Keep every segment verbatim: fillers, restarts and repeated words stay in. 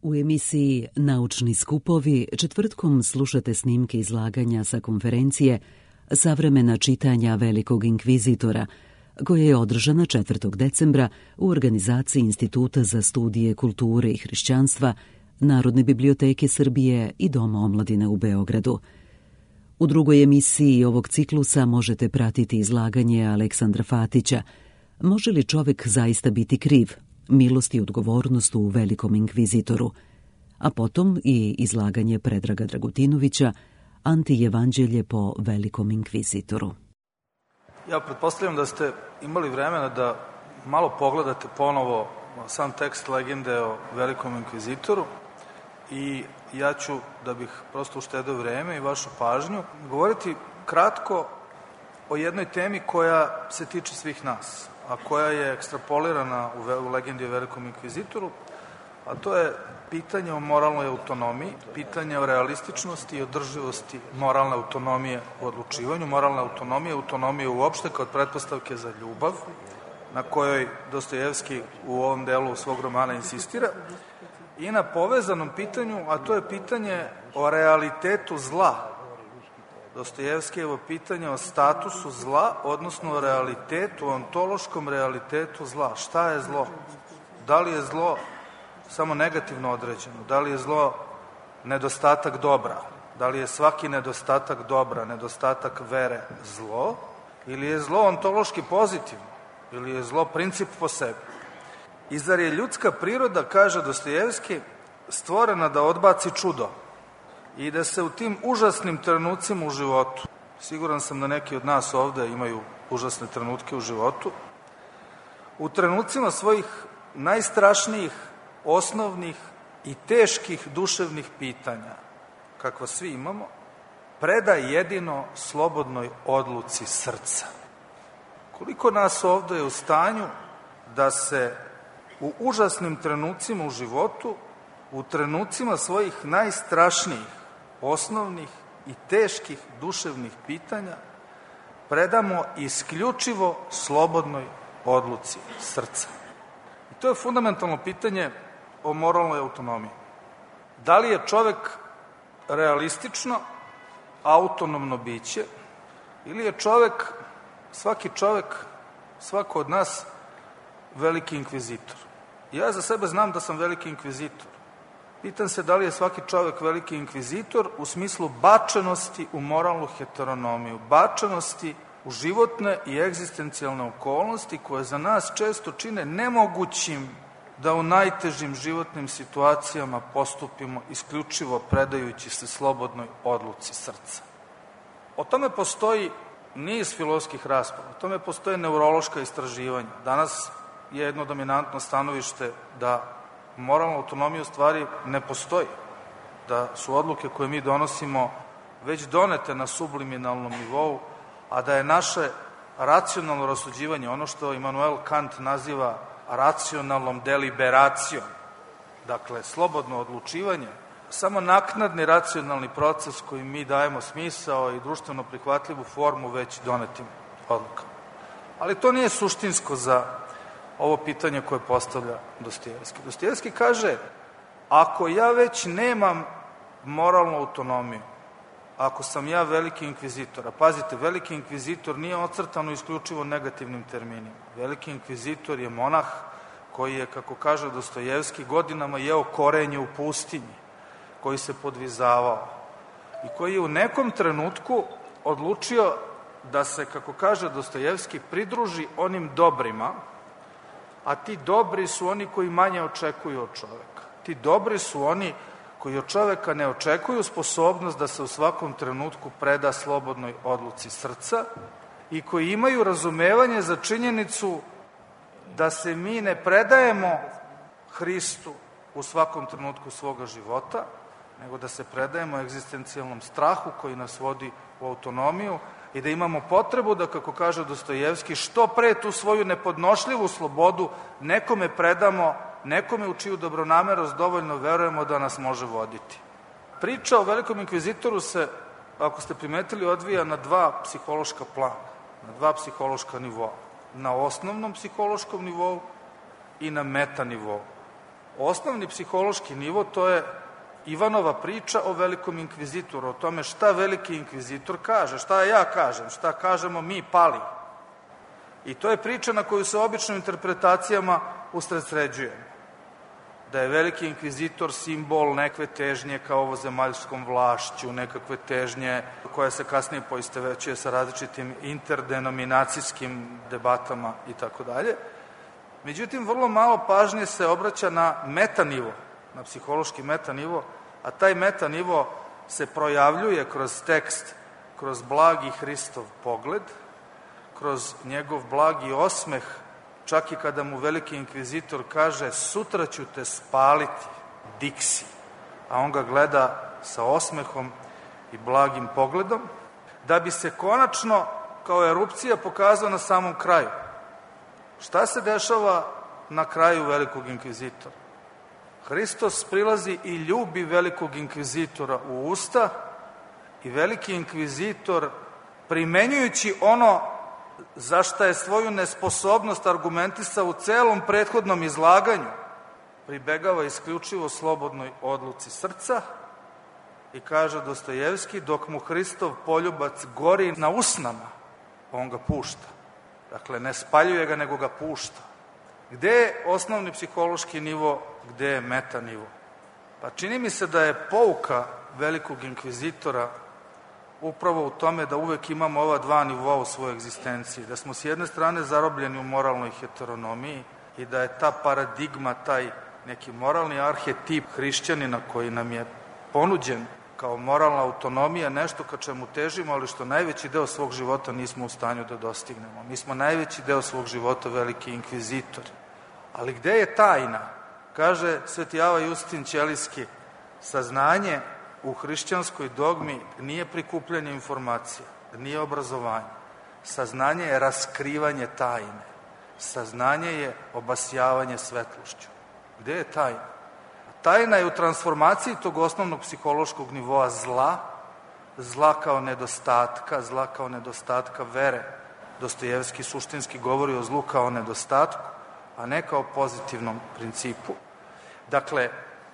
U emisiji Naučni skupovi četvrtkom slušate snimke izlaganja sa konferencije Savremena čitanja Velikog inkvizitora, koja je održana četvrtog decembra u organizaciji Instituta za studije kulture i hrišćanstva, Narodne biblioteke Srbije i Doma omladine u Beogradu. U drugoj emisiji ovog ciklusa možete pratiti izlaganje Aleksandra Fatića Može li čovek zaista biti kriv? Milost i odgovornost u Velikom inkvizitoru, a potom i izlaganje Predraga Dragutinovića Antijevanđelje po Velikom inkvizitoru. Ja pretpostavljam da ste imali vremena da malo pogledate ponovo sam tekst legende o Velikom inkvizitoru i ja ću, da bih prosto uštedeo vreme i vašu pažnju, govoriti kratko o jednoj temi koja se tiče svih nas, a koja je ekstrapolirana u legendi o Velikom inkvizitoru, a to je pitanje o moralnoj autonomiji, pitanje o realističnosti i održivosti moralne autonomije u odlučivanju, moralne autonomije, autonomije uopšte kao pretpostavke za ljubav, na kojoj Dostojevski u ovom delu svog romana insistira, i na povezanom pitanju, a to je pitanje o realitetu zla. Dostojevskijevo pitanje o statusu zla, odnosno o realitetu, ontološkom realitetu zla. Šta je zlo? Da li je zlo samo negativno određeno? Da li je zlo nedostatak dobra? Da li je svaki nedostatak dobra, nedostatak vere zlo? Ili je zlo ontološki pozitivno? Ili je zlo princip po sebi? I zar je ljudska priroda, kaže Dostojevski, stvorena da odbaci čudo i da se u tim užasnim trenucima u životu, siguran sam da neki od nas ovde imaju užasne trenutke u životu, u trenucima svojih najstrašnijih, osnovnih i teških duševnih pitanja, kakva svi imamo, preda jedino slobodnoj odluci srca. Koliko nas ovde je u stanju da se u užasnim trenucima u životu, u trenucima svojih najstrašnijih, osnovnih i teških duševnih pitanja, predamo isključivo slobodnoj odluci srca. I to je fundamentalno pitanje o moralnoj autonomiji. Da li je čovek realistično, autonomno biće, ili je čovek, svaki čovek, svako od nas, veliki inkvizitor? Ja za sebe znam da sam veliki inkvizitor. Pitam se da li je svaki čovek veliki inkvizitor u smislu bačenosti u moralnu heteronomiju, bačenosti u životne i egzistencijalne okolnosti koje za nas često čine nemogućim da u najtežim životnim situacijama postupimo isključivo predajući se slobodnoj odluci srca. O tome postoji niz filozofskih rasprava, o tome postoje neurološka istraživanja. Danas je jedno dominantno stanovište da moralna autonomija u stvari ne postoji, da su odluke koje mi donosimo već donete na subliminalnom nivou, a da je naše racionalno rasuđivanje, ono što Immanuel Kant naziva racionalnom deliberacijom, dakle slobodno odlučivanje, samo naknadni racionalni proces koji mi dajemo smisao i društveno prihvatljivu formu već donetim odlukama. Ali to nije suštinsko za ovo pitanje koje postavlja Dostojevski. Dostojevski kaže, ako ja već nemam moralnu autonomiju, ako sam ja veliki inkvizitor, a pazite, veliki inkvizitor nije ocrtano isključivo negativnim terminima. Veliki inkvizitor je monah koji je, kako kaže Dostojevski, godinama jeo korenje u pustinji, koji se podvizavao i koji je u nekom trenutku odlučio da se, kako kaže Dostojevski, pridruži onim dobrima, a ti dobri su oni koji manje očekuju od čoveka. Ti dobri su oni koji od čoveka ne očekuju sposobnost da se u svakom trenutku preda slobodnoj odluci srca i koji imaju razumevanje za činjenicu da se mi ne predajemo Hristu u svakom trenutku svoga života, nego da se predajemo egzistencijalnom strahu koji nas vodi u autonomiju i da imamo potrebu da, kako kaže Dostojevski, što pre tu svoju nepodnošljivu slobodu nekome predamo, nekome u čiju dobronamerost dovoljno verujemo da nas može voditi. Priča o Velikom inkvizitoru se, ako ste primetili, odvija na dva psihološka plana, na dva psihološka nivoa. Na osnovnom psihološkom nivou i na meta nivou. Osnovni psihološki nivo to je Ivanova priča o velikom inkvizitoru, o tome šta veliki inkvizitor kaže, šta ja kažem, šta kažemo mi pali. I to je priča na koju se obično interpretacijama usredsređujemo. Da je veliki inkvizitor simbol nekve težnje ka ovozemaljskom vlašću, nekakve težnje koja se kasnije poistovećuje sa različitim interdenominacijskim debatama i tako dalje. Međutim, vrlo malo pažnje se obraća na metanivo, na psihološki metanivo, a taj metanivo se projavljuje kroz tekst, kroz blagi Hristov pogled, kroz njegov blagi osmeh, čak i kada mu veliki inkvizitor kaže sutra ću te spaliti, diksi, a on ga gleda sa osmehom i blagim pogledom, da bi se konačno kao erupcija pokazao na samom kraju. Šta se dešava na kraju velikog inkvizitora? Hristos prilazi i ljubi velikog inkvizitora u usta i veliki inkvizitor, primenjujući ono za šta je svoju nesposobnost argumentisao u celom prethodnom izlaganju, pribegava isključivo slobodnoj odluci srca i kaže Dostojevski, dok mu Hristov poljubac gori na usnama, on ga pušta. Dakle, ne spaljuje ga, nego ga pušta. Gde je osnovni psihološki nivo, gde je meta nivo? Pa čini mi se da je pouka velikog inkvizitora upravo u tome da uvek imamo ova dva nivoa u svojoj egzistenciji, da smo s jedne strane zarobljeni u moralnoj heteronomiji i da je ta paradigma, taj neki moralni arhetip hrišćanina koji nam je ponuđen kao moralna autonomija, nešto ka čemu težimo, ali što najveći deo svog života nismo u stanju da dostignemo. Mi smo najveći deo svog života veliki inkvizitori. Ali gde je tajna? Kaže Sveti Ava Justin Ćelijski, saznanje u hrišćanskoj dogmi nije prikupljanje informacija, nije obrazovanje. Saznanje je raskrivanje tajne. Saznanje je obasjavanje svetlošću. Gde je tajna? Tajna je u transformaciji tog osnovnog psihološkog nivoa zla, zla kao nedostatka, zla kao nedostatka vere. Dostojevski suštinski govori o zlu kao nedostatku, a ne kao pozitivnom principu. Dakle,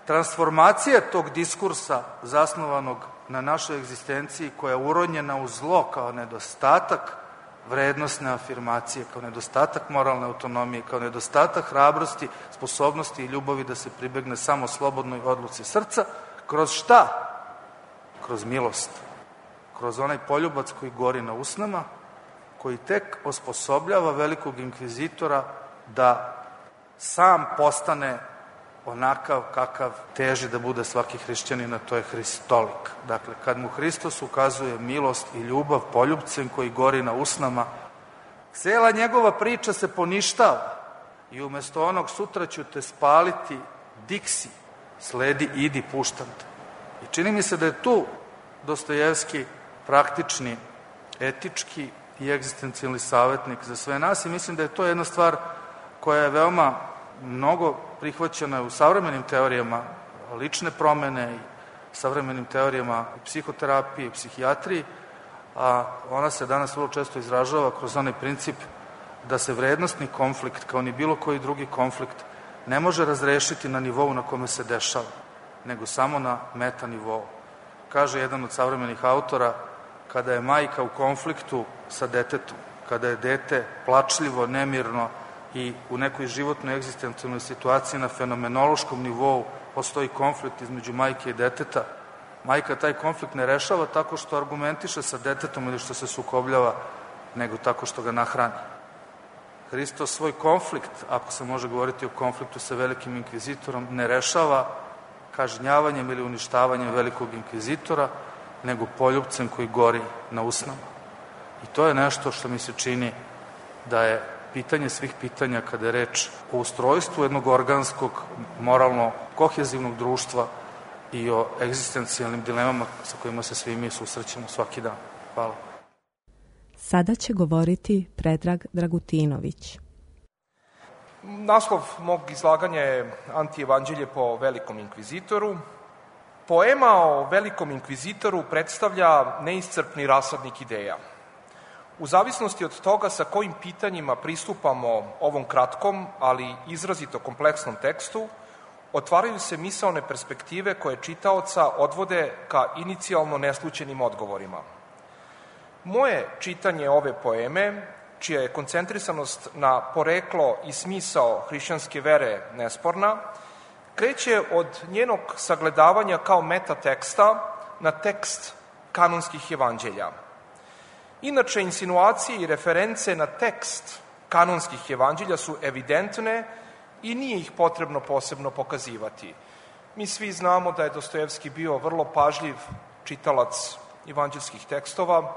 transformacija tog diskursa zasnovanog na našoj egzistenciji koja je uronjena u zlo kao nedostatak vrednostne afirmacije, kao nedostatak moralne autonomije, kao nedostatak hrabrosti, sposobnosti i ljubavi da se pribegne samo slobodnoj odluci srca, kroz šta? Kroz milost. Kroz onaj poljubac koji gori na usnama, koji tek osposobljava velikog inkvizitora da sam postane onakav kakav teži da bude svaki hrišćanin, a to je hristolik. Dakle, kad mu Hristos ukazuje milost i ljubav poljubcem koji gori na usnama, cela njegova priča se poništava i umesto onog sutra ću te spaliti, diksi, sledi, idi, puštam te. I čini mi se da je tu Dostojevski praktični, etički i egzistencijalni savjetnik za sve nas i mislim da je to jedna stvar koja je veoma mnogo prihvaćena u savremenim teorijama lične promene i savremenim teorijama psihoterapije i psihijatriji, a ona se danas vrlo često izražava kroz onaj princip da se vrednostni konflikt, kao ni bilo koji drugi konflikt, ne može razrešiti na nivou na kome se dešava, nego samo na meta nivou. Kaže jedan od savremenih autora, kada je majka u konfliktu sa detetom, kada je dete plačljivo, nemirno i u nekoj životnoj egzistencijalnoj situaciji na fenomenološkom nivou postoji konflikt između majke i deteta, majka taj konflikt ne rešava tako što argumentiše sa detetom ili što se sukobljava, nego tako što ga nahrani. Hristos svoj konflikt, ako se može govoriti o konfliktu sa velikim inkvizitorom, ne rešava kažnjavanjem ili uništavanjem velikog inkvizitora, nego poljubcem koji gori na usnama. I to je nešto što mi se čini da je pitanje svih pitanja kada je reč o ustrojstvu jednog organskog, moralno kohezivnog društva i o egzistencijalnim dilemama sa kojima se svi mi susrećemo svaki dan. Hvala. Sada će govoriti Predrag Dragutinović. Naslov mog izlaganja je Antievanđelje po velikom inkvizitoru. Poema o velikom inkvizitoru predstavlja neiscrpni rasadnik ideja. U zavisnosti od toga sa kojim pitanjima pristupamo ovom kratkom, ali izrazito kompleksnom tekstu, otvaraju se misaone perspektive koje čitaoca odvode ka inicijalno neslućenim odgovorima. Moje čitanje ove poeme, čija je koncentrisanost na poreklo i smisao hrišćanske vere nesporna, kreće od njenog sagledavanja kao metateksta na tekst kanonskih evanđelja. Inače, insinuacije i reference na tekst kanonskih evanđelja su evidentne i nije ih potrebno posebno pokazivati. Mi svi znamo da je Dostojevski bio vrlo pažljiv čitalac evanđelskih tekstova.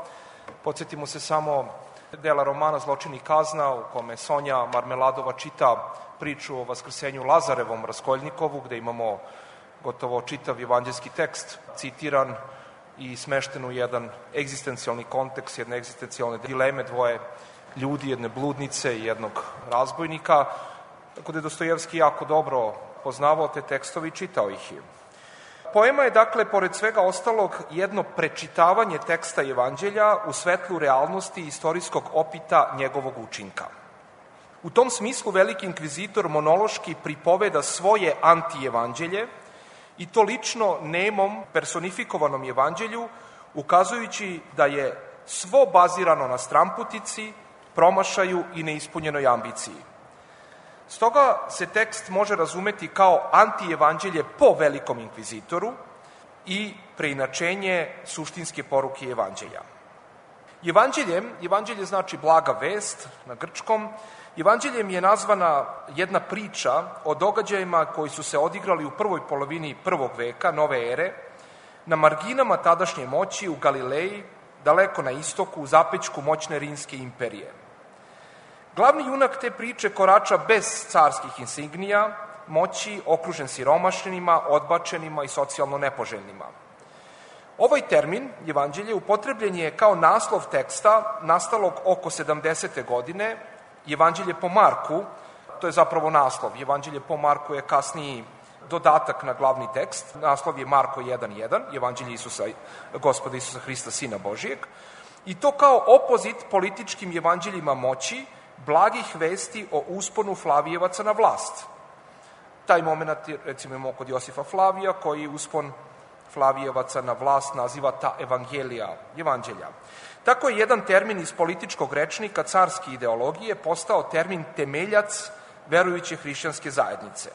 Podsjetimo se samo dela romana Zločin i kazna, u kome Sonja Marmeladova čita priču o vaskrsenju Lazarevom Raskoljnikovu, gde imamo gotovo čitav evanđelski tekst citiran i smešten u jedan egzistencijalni kontekst, jedne egzistencijalne dileme, dvoje ljudi, jedne bludnice i jednog razbojnika, tako da je Dostojevski jako dobro poznavao te tekstove i čitao ih je. Poema je, dakle, pored svega ostalog, jedno prečitavanje teksta evanđelja u svetlu realnosti istorijskog opita njegovog učinka. U tom smislu veliki inkvizitor monološki pripoveda svoje antievanđelje i to lično nemom personifikovanom evanđelju, ukazujući da je svo bazirano na stramputici, promašaju i neispunjenoj ambiciji. Stoga se tekst može razumeti kao antievanđelje po velikom inkvizitoru i preinačenje suštinske poruke evanđelja. Evanđeljem, evanđelje znači blaga vest na grčkom, evanđeljem je nazvana jedna priča o događajima koji su se odigrali u prvoj polovini prvog veka, nove ere, na marginama tadašnje moći u Galileji, daleko na istoku, u zapećku moćne rimske imperije. Glavni junak te priče korača bez carskih insignija, moći, okružen siromašnima, odbačenima i socijalno nepoželjnima. Ovaj termin, evanđelje, upotrebljen je kao naslov teksta nastalog oko sedamdesete godine, evanđelje po Marku, to je zapravo naslov, evanđelje po Marku je kasniji dodatak na glavni tekst, naslov je Marko jedan jedan, evanđelje Isusa, Gospoda Isusa Hrista, Sina Božijeg, i to kao opozit političkim evanđeljima moći, blagih vesti o usponu Flavijevaca na vlast. Taj moment, recimo, imamo kod Josifa Flavija, koji uspon Flavijevaca na vlast naziva ta evangelija, evanđelja. Tako je jedan termin iz političkog rečnika carske ideologije postao termin temeljac verujuće hrišćanske zajednice.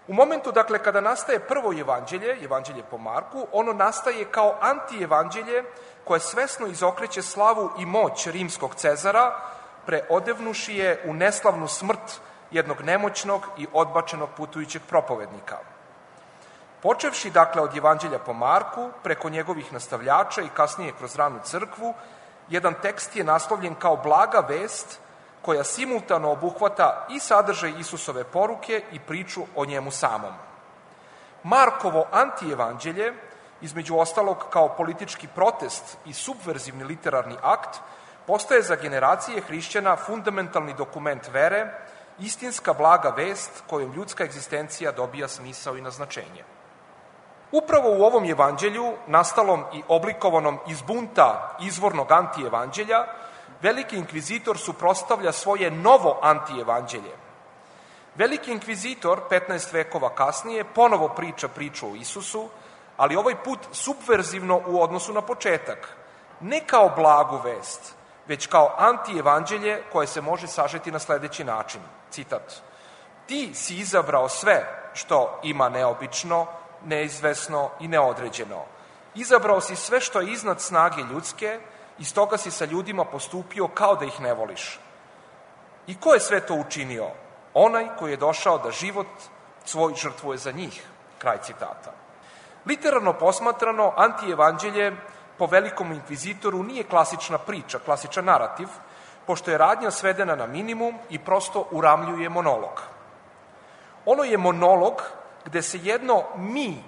U momentu, dakle, kada nastaje prvo evanđelje, evanđelje po Marku, ono nastaje kao antievanđelje koje svesno izokreće slavu i moć rimskog Cezara, preodevnuši je u neslavnu smrt jednog nemoćnog i odbačenog putujućeg propovednika. Počevši, dakle, od evanđelja po Marku, preko njegovih nastavljača i kasnije kroz ranu crkvu, jedan tekst je naslovljen kao blaga vest koja simultano obuhvata i sadržaj Isusove poruke i priču o njemu samom. Markovo antievanđelje, između ostalog kao politički protest i subverzivni literarni akt, postaje za generacije hrišćana fundamentalni dokument vere, istinska blaga vest kojom ljudska egzistencija dobija smisao i naznačenje. Upravo u ovom evanđelju, nastalom i oblikovanom iz bunta izvornog antievanđelja, veliki inkvizitor suprotstavlja svoje novo antievanđelje. Veliki inkvizitor, petnaest vekova kasnije, ponovo priča priču o Isusu, ali ovaj put subverzivno u odnosu na početak. Ne kao blagu vest, već kao antievanđelje koje se može sažeti na sledeći način. Citat. Ti si izabrao sve što ima neobično, neizvesno i neodređeno. Izabrao si sve što je iznad snage ljudske i stoga si sa ljudima postupio kao da ih ne voliš. I ko je sve to učinio? Onaj koji je došao da život svoj žrtvuje za njih. Kraj citata. Literarno posmatrano, antievanđelje po velikom inkvizitoru nije klasična priča, klasičan narativ, pošto je radnja svedena na minimum i prosto uramljuje monolog. Ono je monolog gde se jedno mi,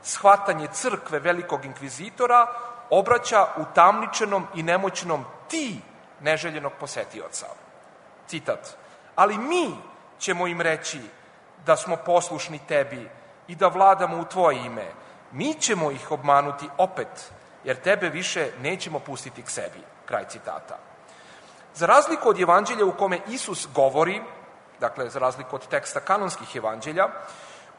shvatanje crkve velikog inkvizitora, obraća utamničenom i nemoćnom ti neželjenog posetioca. Citat. Ali mi ćemo im reći da smo poslušni tebi i da vladamo u tvoje ime. Mi ćemo ih obmanuti opet, jer tebe više nećemo pustiti k sebi. Kraj citata. Za razliku od evanđelja u kome Isus govori, dakle, za razliku od teksta kanonskih evanđelja,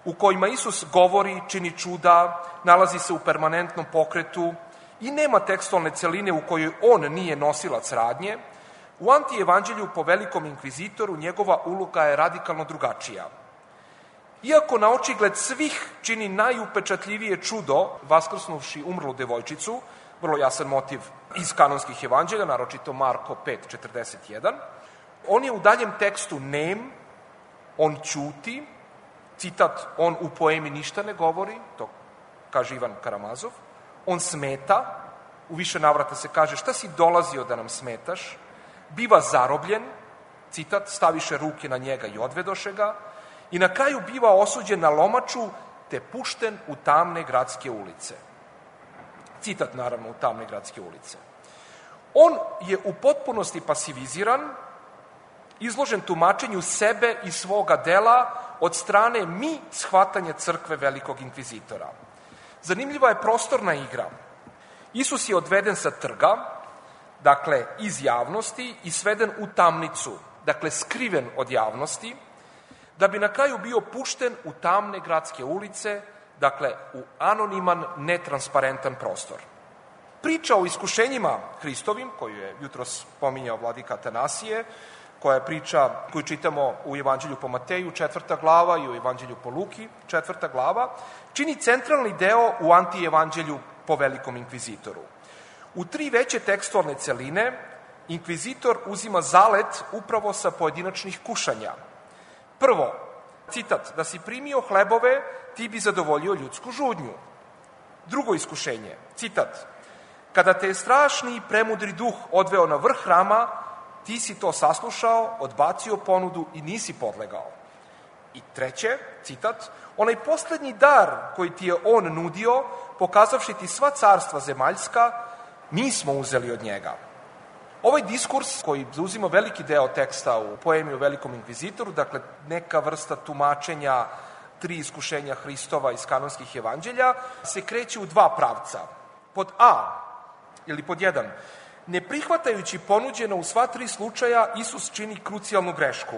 u kojima Isus govori, čini čuda, nalazi se u permanentnom pokretu i nema tekstualne celine u kojoj on nije nosilac radnje, u antievanđelju po velikom inkvizitoru njegova uloga je radikalno drugačija. Iako na očigled svih čini najupečatljivije čudo, vaskrsnuvši umrlu devojčicu, vrlo jasan motiv iz kanonskih evanđelja, naročito Marko pet četrdeset jedan, on je u daljem tekstu nem, on ćuti, citat, on u poemi ništa ne govori, to kaže Ivan Karamazov, on smeta, u više navrata se kaže šta si dolazio da nam smetaš, biva zarobljen, citat, staviše ruke na njega i odvedoše ga, i na kraju biva osuđen na lomaču te pušten u tamne gradske ulice. Citat, naravno, u tamne gradske ulice. On je u potpunosti pasiviziran, izložen tumačenju sebe i svoga dela od strane mi shvatanje crkve velikog inkvizitora. Zanimljiva je prostorna igra. Isus je odveden sa trga, dakle iz javnosti, i sveden u tamnicu, dakle skriven od javnosti, da bi na kraju bio pušten u tamne gradske ulice, dakle u anoniman, netransparentan prostor. Priča o iskušenjima Hristovim, koju je jutros pominjao vladika Atanasije, koja je priča koju čitamo u Evanđelju po Mateju, četvrta glava, i u Evanđelju po Luki, četvrta glava, čini centralni deo u antievanđelju po velikom inkvizitoru. U tri veće tekstualne celine inkvizitor uzima zalet upravo sa pojedinačnih kušanja. Prvo, citat, da si primio hlebove, ti bi zadovoljio ljudsku žudnju. Drugo iskušenje, citat, kada te je strašni i premudri duh odveo na vrh hrama, ti si to saslušao, odbacio ponudu i nisi podlegao. I treće, citat, onaj poslednji dar koji ti je on nudio, pokazavši ti sva carstva zemaljska, mi smo uzeli od njega. Ovaj diskurs, koji zauzima veliki deo teksta u poemi o velikom inkvizitoru, dakle neka vrsta tumačenja tri iskušenja Hristova iz kanonskih evanđelja, se kreće u dva pravca. Pod A, ili pod jedan, ne prihvatajući ponuđeno u sva tri slučaja, Isus čini krucijalnu grešku.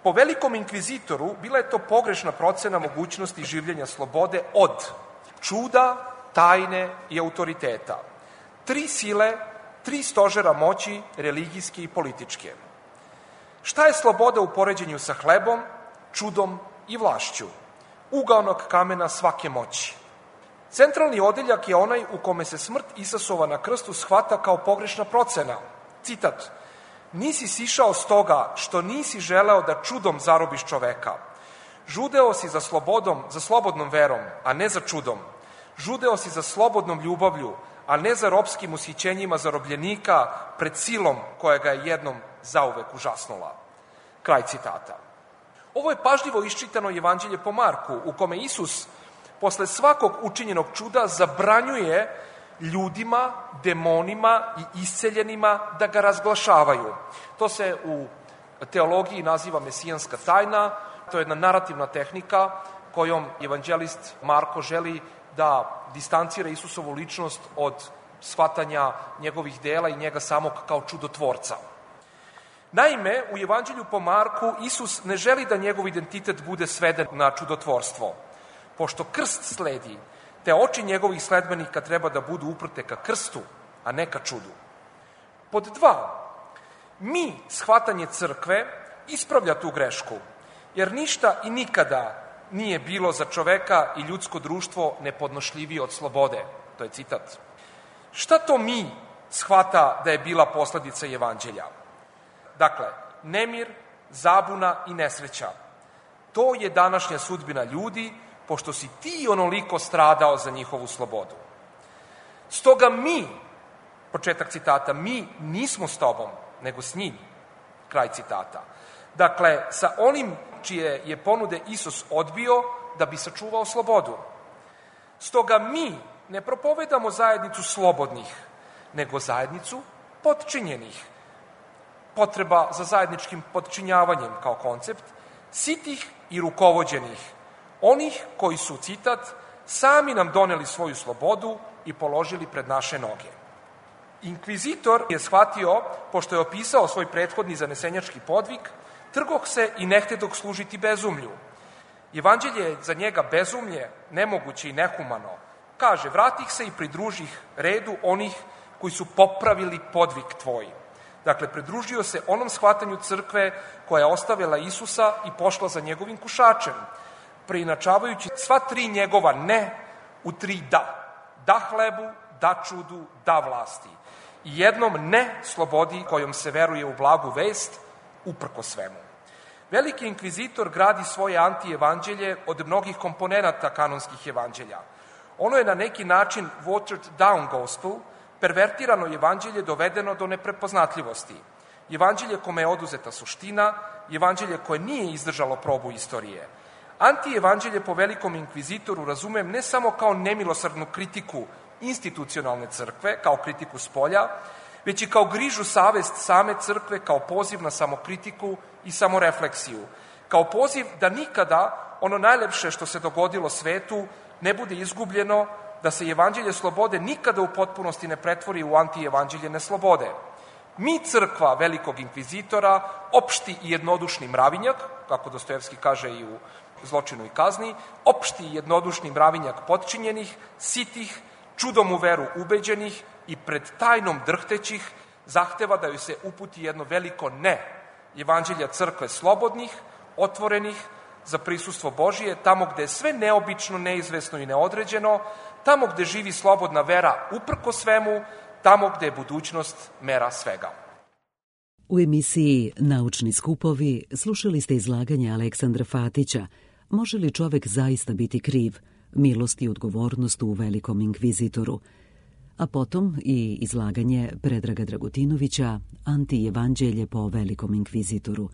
Po velikom inkvizitoru bila je to pogrešna procena mogućnosti življenja slobode od čuda, tajne i autoriteta. Tri sile, tri stožera moći, religijske i političke. Šta je sloboda u poređenju sa hlebom, čudom i vlašću? Ugaonog kamena svake moći. Centralni odeljak je onaj u kome se smrt Isusova na krstu shvata kao pogrešna procena. Citat, nisi sišao stoga što nisi želeo da čudom zarobiš čoveka. Žudeo si za slobodom, za slobodnom verom, a ne za čudom. Žudeo si za slobodnom ljubavlju, a ne za ropskim ushićenjima zarobljenika pred silom koja ga je jednom zauvek užasnula. Kraj citata. Ovo je pažljivo iščitano Evanđelje po Marku, u kome Isus posle svakog učinjenog čuda zabranjuje ljudima, demonima i isceljenima da ga razglašavaju. To se u teologiji naziva mesijanska tajna, to je jedna narativna tehnika kojom evanđelist Marko želi da distancira Isusovu ličnost od shvatanja njegovih dela i njega samog kao čudotvorca. Naime, u Evanđelju po Marku Isus ne želi da njegov identitet bude sveden na čudotvorstvo. Pošto krst sledi, te oči njegovih sledbenika treba da budu uprte ka krstu, a ne ka čudu. Pod dva, mi, shvatanje crkve, ispravlja tu grešku, jer ništa i nikada nije bilo za čoveka i ljudsko društvo nepodnošljivije od slobode. To je citat. Šta to mi shvata da je bila posledica Evanđelja? Dakle, nemir, zabuna i nesreća. To je današnja sudbina ljudi, pošto si ti onoliko stradao za njihovu slobodu. Stoga mi, početak citata, mi nismo s tobom, nego s njim. Kraj citata. Dakle, sa onim čije je ponude Isus odbio da bi sačuvao slobodu. Stoga mi ne propovedamo zajednicu slobodnih, nego zajednicu potčinjenih. Potreba za zajedničkim potčinjavanjem kao koncept, sitih i rukovođenih, onih koji su, citat, sami nam doneli svoju slobodu i položili pred naše noge. Inkvizitor je shvatio, pošto je opisao svoj prethodni zanesenjački podvig, Trgoh se i nehtedog služiti bezumlju. Evanđelje je za njega bezumlje, nemoguće i nehumano. Kaže, vratih se i pridružih redu onih koji su popravili podvig tvoj. Dakle, pridružio se onom shvatanju crkve koja je ostavila Isusa i pošla za njegovim kušačem, preinačavajući sva tri njegova ne u tri da. Da hlebu, da čudu, da vlasti. I jednom ne slobodi kojom se veruje u blagu vest, uprko svemu. Veliki inkvizitor gradi svoje antievanđelje od mnogih komponenata kanonskih evanđelja. Ono je na neki način watered down gospel, pervertirano evanđelje dovedeno do neprepoznatljivosti. Evanđelje kome je oduzeta suština, evanđelje koje nije izdržalo probu istorije. Antievanđelje po velikom inkvizitoru razumem ne samo kao nemilosrdnu kritiku institucionalne crkve, kao kritiku spolja, već i kao grižu savest same crkve, kao poziv na samokritiku i samorefleksiju, kao poziv da nikada ono najlepše što se dogodilo svetu ne bude izgubljeno, da se evanđelje slobode nikada u potpunosti ne pretvori u antievanđelje neslobode. Mi, crkva velikog inkvizitora, opšti i jednodušni mravinjak, kako Dostojevski kaže i u Zločinu i kazni, opšti i jednodušni mravinjak potčinjenih, sitih, čudom u veru ubeđenih i pred tajnom drhtećih, zahteva da joj se uputi jedno veliko ne evanđelja crkve slobodnih, otvorenih za prisustvo Božije, tamo gde je sve neobično, neizvesno i neodređeno, tamo gde živi slobodna vera uprko svemu, tamo gde je budućnost mera svega. U emisiji Naučni skupovi slušali ste izlaganje Aleksandra Fatića Može li čovek zaista biti kriv? Milost i odgovornost u velikom inkvizitoru. A potom i izlaganje Predraga Dragutinovića Antievanđelje po velikom inkvizitoru.